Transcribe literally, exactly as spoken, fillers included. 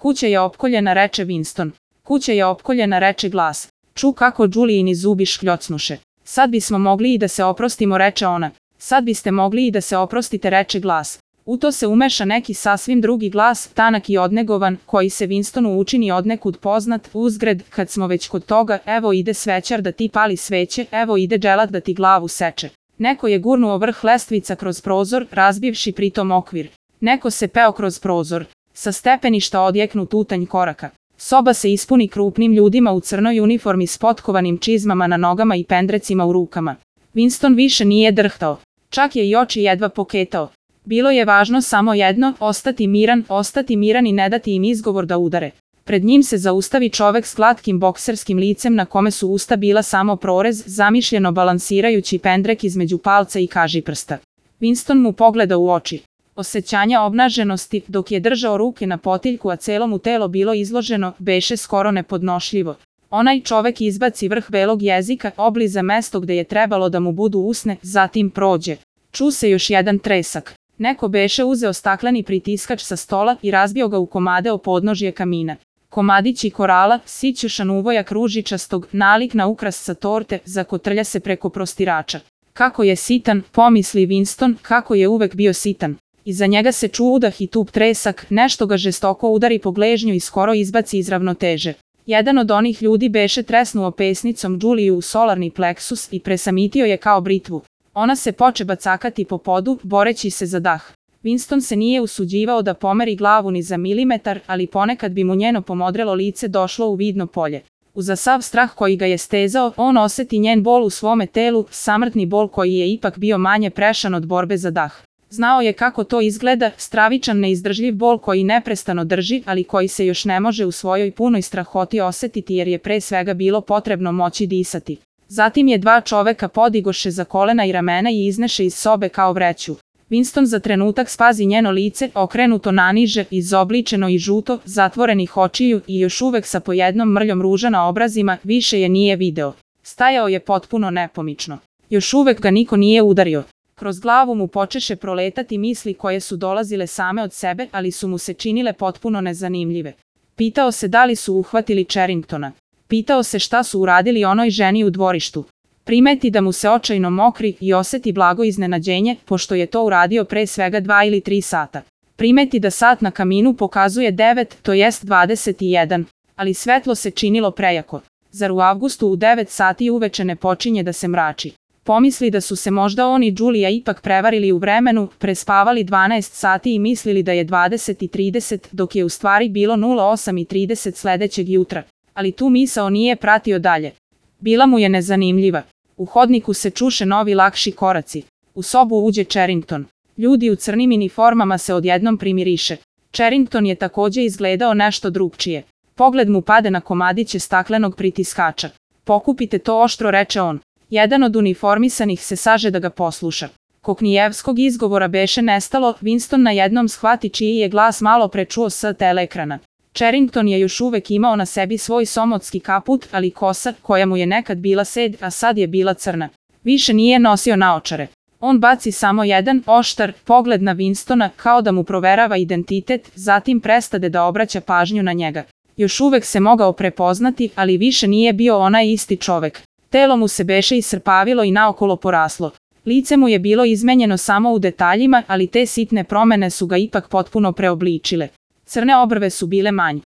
Kuća je opkoljena, reče Winston. Kuća je opkoljena, reče glas. Ču kako Julijini zubi škljocnuše. Sad bismo mogli i da se oprostimo, reče ona. Sad biste mogli i da se oprostite, reče glas. U to se umeša neki sasvim drugi glas, tanak i odnegovan, koji se Winstonu učini odnekud poznat. Uzgred, kad smo već kod toga, evo ide svećar da ti pali sveće, evo ide dželat da ti glavu seče. Neko je gurnuo vrh lestvica kroz prozor, razbivši pritom okvir. Neko se peo kroz prozor. Sa stepeništa odjeknu tutanj koraka. Soba se ispuni krupnim ljudima u crnoj uniformi s potkovanim čizmama na nogama i pendrecima u rukama. Winston više nije drhtao. Čak je i oči jedva poketao. Bilo je važno samo jedno, ostati miran, ostati miran i ne dati im izgovor da udare. Pred njim se zaustavi čovek s glatkim bokserskim licem na kome su usta bila samo prorez, zamišljeno balansirajući pendrek između palca i kažiprsta. Winston mu pogleda u oči. Osjećanja obnaženosti, dok je držao ruke na potiljku, a celo mu telo bilo izloženo, beše skoro nepodnošljivo. Onaj čovek izbaci vrh belog jezika, obliza mesto gde je trebalo da mu budu usne, zatim prođe. Ču se još jedan tresak. Neko beše uzeo stakleni pritiskač sa stola i razbio ga u komade o podnožje kamina. Komadići korala, sićušan uvojak ružičastog, nalik na ukras sa torte, zakotrlja se preko prostirača. Kako je sitan, pomisli Winston, kako je uvek bio sitan. Iza njega se ču udah i tup tresak, nešto ga žestoko udari po gležnju i skoro izbaci iz ravnoteže. Jedan od onih ljudi beše tresnuo pesnicom Juliju u solarni pleksus i presamitio je kao britvu. Ona se poče bacakati po podu, boreći se za dah. Winston se nije usuđivao da pomeri glavu ni za milimetar, ali ponekad bi mu njeno pomodrelo lice došlo u vidno polje. Uza sav strah koji ga je stezao, on oseti njen bol u svome telu, samrtni bol koji je ipak bio manje prešan od borbe za dah. Znao je kako to izgleda, stravičan neizdržljiv bol koji neprestano drži, ali koji se još ne može u svojoj punoj strahoti osetiti jer je pre svega bilo potrebno moći disati. Zatim je dva čoveka podigoše za kolena i ramena i izneše iz sobe kao vreću. Winston za trenutak spazi njeno lice, okrenuto naniže, izobličeno i žuto, zatvorenih očiju i još uvek sa po jednom mrljom ruža na obrazima, više je nije video. Stajao je potpuno nepomično. Još uvek ga niko nije udario. Kroz glavu mu počeše proletati misli koje su dolazile same od sebe, ali su mu se činile potpuno nezanimljive. Pitao se da li su uhvatili Charringtona. Pitao se šta su uradili onoj ženi u dvorištu. Primeti da mu se očajno mokri i oseti blago iznenađenje, pošto je to uradio pre svega dva ili tri sata. Primeti da sat na kaminu pokazuje devet, to jest dvadeset jedan, ali svetlo se činilo prejako. Zar u avgustu u devet sati uveče ne počinje da se mrači? Pomisli da su se možda on i Julija ipak prevarili u vremenu, prespavali dvanaest sati i mislili da je dvadeset i trideset, dok je u stvari bilo nula osam i trideset sledećeg jutra. Ali tu misao nije pratio dalje. Bila mu je nezanimljiva. U hodniku se čuše novi lakši koraci. U sobu uđe Charrington. Ljudi u crnim uniformama se odjednom primiriše. Charrington je takođe izgledao nešto drugčije. Pogled mu pade na komadiće staklenog pritiskača. Pokupite to oštro, reče on. Jedan od uniformisanih se saže da ga posluša. Koknijevskog izgovora beše nestalo, Winston na jednom shvati čiji je glas malo prečuo s teleekrana. Charrington je još uvek imao na sebi svoj somotski kaput, ali kosa, koja mu je nekad bila sed, a sad je bila crna. Više nije nosio naočare. On baci samo jedan oštar pogled na Winstona kao da mu proverava identitet, zatim prestade da obraća pažnju na njega. Još uvek se mogao prepoznati, ali više nije bio onaj isti čovek. Telo mu se beše iscrpavilo i naokolo poraslo. Lice mu je bilo izmenjeno samo u detaljima, ali te sitne promene su ga ipak potpuno preobličile. Crne obrve su bile manje.